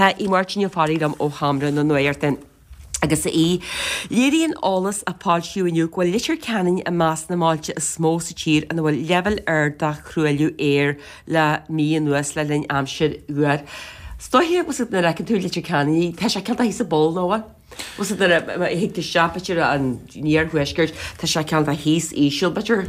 Tá Aodh Máirtín Ó Fearraigh liom ó Sheomra na Nuachta. Agus a Aoidh, léiríonn eolas a foilsíodh inniu go bhfuil Leitir Ceanainn i measc na mbailte is mó sa tír ina bhfuil leibhéal ard de thruailliú aeir le mí anuas le linn aimsir fhuar. Is dóiche, nuair a fheiceann tú Leitir Ceanainn, tá sé cineál thíos sa bpoll, nó an bhfuil? Bhfuil nuair a thig tú isteach, b'fhéidir, an iarthuaiscirt, tá sé cineál de thíos íseal, b'fhéidir.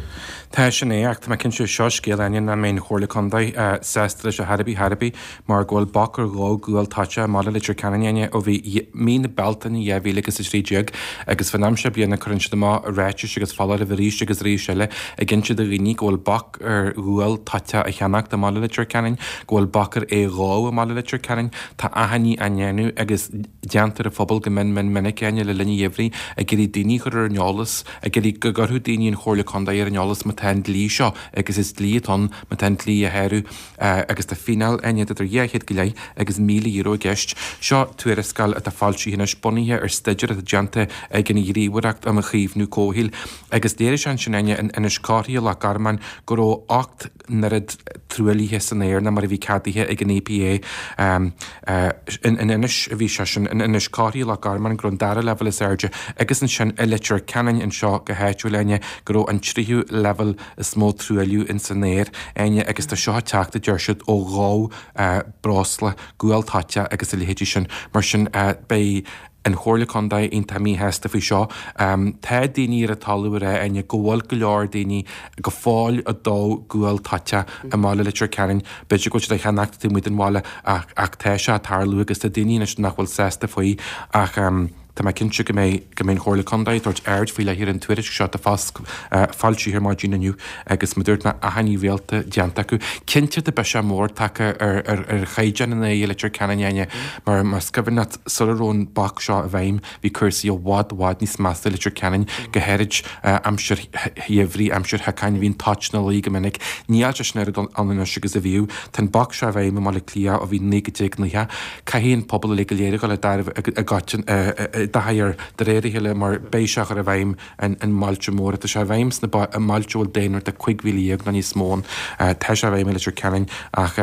Tá sin é, ach tá mé cinnte, seo scéal Áine nach mbeidh an Chomhairle Contae sásta leis ar chor ar bith, chor ar bith, mar go bhfuil bac ar dhó gual toiteach i mbaile Leitir Ceanainn, Áine, ó bhí mí na Bealtaine 2013 agus fán am seo bliana cuireann siad amach ráitis agus foláirimh arís agus arís eile ag inse do dhaoine go bhfuil bac ar ghual toiteach a cheannacht i mbaile Leitir Ceanainn, go bhfuil bac ar é dhó i mbaile Leitir Ceanainn. Tá achainí á ndéanamh agus. déanta ar an phobal go mion mion minic, Áine, le linn an gheimhridh, ag iarraidh daoine a chur ar an eolas, ag iarraidh go gcuirfeadh daoine an Chomhairle Contae ar an eolas má tá an dlí seo, agus is dlí atá ann, má tá an dlí á shárú, agus tá fíneáil, Áine, idir 200 go leith agus €1,000 i gceist. Seo tuarascáil atá foilsithe anois, bunaithe ar staidéar atá déanta ag an Ghníomhaireacht um Chaomhnú Comhshaoil, agus léirigh sé ansin, Áine, in Inis Córthaidh, i Loch Garman, go raibh 8 n-oiread truaillithe san aer ná mar a bhí ceadaithe ag an EPA. In Inis a bhí sé sin, in Inis Córthaidh, Loch Garman, go raibh an dara leibhéal is airde agus ansin i Leitir Ceanainn anseo go háitiúil, Áine, go raibh an tríú leibhéal is mó truailliú ins an aer, Áine, agus tá seo ag teacht, a deir siad, ó dhó breosla, gual toiteach agus a leithéidí sin. Mar sin, beidh. an Chomhairle Contae iontach míshásta faoi seo. Tá daoine ar an talamh ag rá, Áine, go bhfuil go leor daoine go fóill ag dó gual toiteach i mbaile Leitir Ceanainn. B'fhéidir go bhfuil siad á cheannacht taobh amuigh den bhaile ach ach tá sé ag tarlú agus tá daoine anois nach bhfuil sásta faoi ach tá mé cinnte go mbeidh go mbeidh an Chomhairle Contae ag tabhairt aird faoi leith ar an tuairisc seo atá foilsithe ar maidin inniu agus mar a dúirt mé achainí rialta déanta acu. Cinnte tá biseach mór tagtha ar ar ar chaighdeán an aeir i Leitir Ceanainn, Áine, mar más cuimhin leat Sula raibh an bac seo i bhfeidhm, bhí cúrsaí i bhfad, bhfad níos measa i Leitir Ceanainn, go háirid aimsir gheimhridh, aimsir shiocáin, bhí an toit ina luí go minic. Níl sé sin oiread ann anois agus a bhíodh. Tá an bac seo i bhfeidhm i mBaile Átha Cliath ó bhí 1990. Caithfidh an pobal uilig go léir a dhul i dtaithí i dtaithí air de réir a chéile mar beidh sé á chur i bhfeidhm i mbailte móra. Tá sé i bhfeidhm sna mbailte a bhfuil daonra de 15,000 nó níos mó ann. Tá sé i bhfeidhm i Leitir Ceanainn ach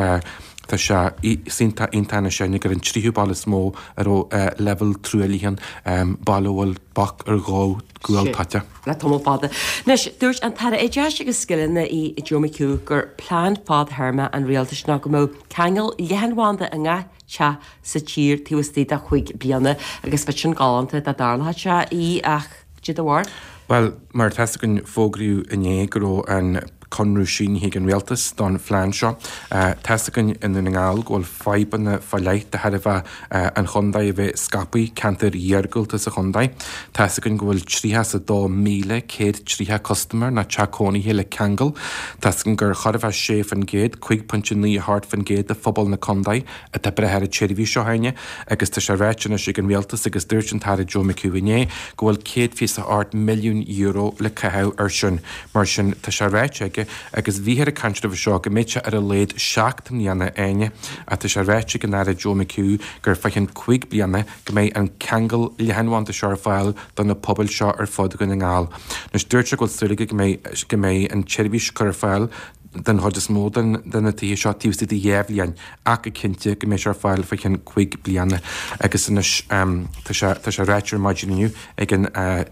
Tá sé iontach iontach anois Áine gur an tríú baile is mó a raibh leibhéal truaillithe ann, baile a bhfuil bac ar dhó gual toiteach. Le tamall fada anois, dúirt an tAire Oideachais agus Scileanna Joe McHugh gur plean fadthéarma an rialtais ná go mbeadh ceangal leathanbhanda i ngach teach sa tír taobh istigh de chúig bliana agus bheadh sin galánta dá dtarlódh sé í ach cad é do bharúil? Bhuel, mar atá 'fhios againn fógraíodh inné go raibh an conradh sínithe ag an Rialtas don phlean seo. Tá 'fhios againn i nDún na nGall go bhfuil fadhbanna fá leith de thairbhe an chontae a bheith scaipthe, ceantair iargúlta sa chontae. Tá 'fhios againn go bhfuil 32,130 custaiméir nó teach cónaithe le ceangal. Tá 'fhios againn gur chóir a bheith 6%, 5.98% de phobal na contae atá ag brath ar an tseirbhís seo Áine agus tá sé ráite anois ag an Rialtas agus dúirt an tAire Joe McHugh inné go bhfuil €128 milliún le caitheamh air sin. Mar sin tá sé ráite aige agus bhíthear ag caint roimhe seo go mbeadh sé ar a laghad 7 mbliana Áine ach tá sé ráite ag an Aire Joe McHugh gur fá cheann 5 bliana go mbeidh an ceangal leathanbhanda seo ar fáil do na pobail seo ar fud Dhún na nGall. Anois dúirt sé go bhfuil súil aige go mbeidh go mbeidh an tseirbhís curtha ar fáil den chuid is mó de na tithe seo taobh istigh de dhá bhliain ach go cinnte go mbeidh sé ar fáil fá cheann cúig bliana agus anois tá sé tá sé ráite ar maidin inniu ag an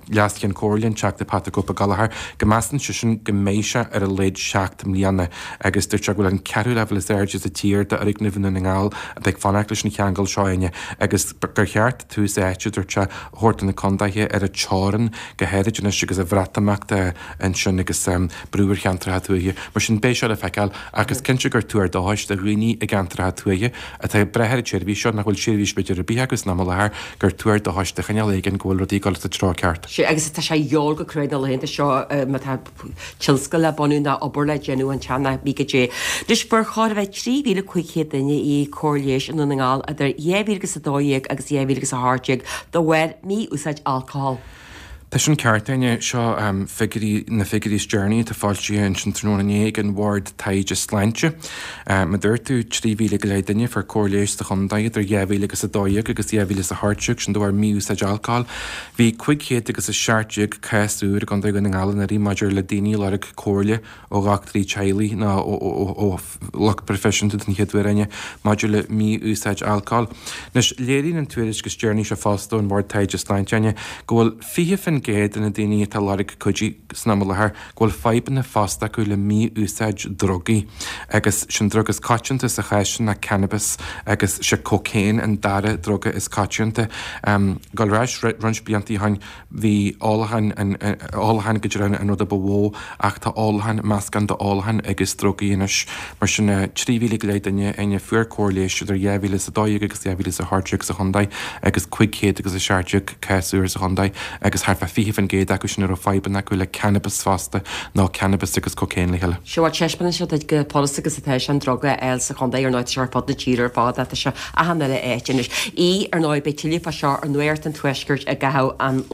Leas-Cheann Comhairle, an Teachta Patrick Ó Gallchóir, go measann seisean go mbeidh sé ar a laghad seacht mbliana agus dúirt sé go bhfuil an ceathrú leibhéal is airde sa tír d'fhoirgnimh i nDún na nGall atá ag fanacht leis an cheangal seo Áine agus gur cheart tús áite, dúirt sé, a thabhairt do na contaetha ar an teorainn go háirid anois agus an Bhreatimeacht ansin agus brú ar cheantracha tuaithe. Mar sin, beidh seo le feiceáil ach is cinnte gur tuar dóchais do dhaoine i gceantracha tuaithe atá ag brath ar an tseirbhís seo, nach bhfuil seirbhís b'fhéidir ar bith acu san am i láthair, gur tuar dóchais de chineál éigin go bhfuil rudaí ag dul sa treo ceart. Sea, agus tá sé a dhíobháil go cruaidh na laethanta seo má tá tionscal le bunú ná obair le déanamh anseo ná bí goidé. Anois, fuair chóir a bheith 3,500 duine í cóir leighis i nDún na nGall idir 2012 agus 2018 de bharr mí-úsáid alcóil. Tá sin ceart, Áine. Seo figiúirí, na figiúirí is deireanaí atá foilsithe ansin tráthnóna inné ag an Bhord Taighde Sláinte. Mar a dúirt tú, 3,000 go leith duine a fuair cóir leighis sa chontae idir 2012 agus 2018, sin de bharr mí-úsáid alcóil. Bhí 517 cás úr i gContae Dhún na nGall anuraidh maidir le daoine a lorg comhairle ó dhochtúirí teaghlaigh nó ó lucht proifisiúnta den chéad uair, Áine, maidir le mí-úsáid alcóil. Anois, léiríonn an tuairisc is deireanaí seo fosta ón Bhord Taighde Sláinte, Áine, go bhfuil 20% de na daoine atá ag lorg cuidiú san am i láthair go bhfuil fadhbanna fosta acu le mí-úsáid drugaí agus sin drug is coitianta sa chás sin ná cannabis agus sé cocaine an dara druga is coitianta. Gabháil ar ais roinnt blianta ó shin, Bhí ólachán, ólachán go deimhin an rud a ba mhó ach tá ólachán, meascán d'ólachán agus drugaí anois. Mar sin, 3,000 go leith duine, Áine, a fuair cóir leighis idir 2012 agus 2018 sa chontae agus 517 cás úr sa chontae agus thart fá 20% acu sin a raibh fadhbanna acu le cannabas fosta nó cannabas agus cocaine le chéile. Sea, bhuel, taispeánann sé duit chomh furasta agus atá sé an druga a fháil sa chontae, ar ndóigh tá sé ar fud na tíre ar fad ach tá sé achan uile áit anois. Í, ar ndóigh, beidh tuilleadh fá seo ar Nuacht an Tuaiscirt i gcaitheamh an.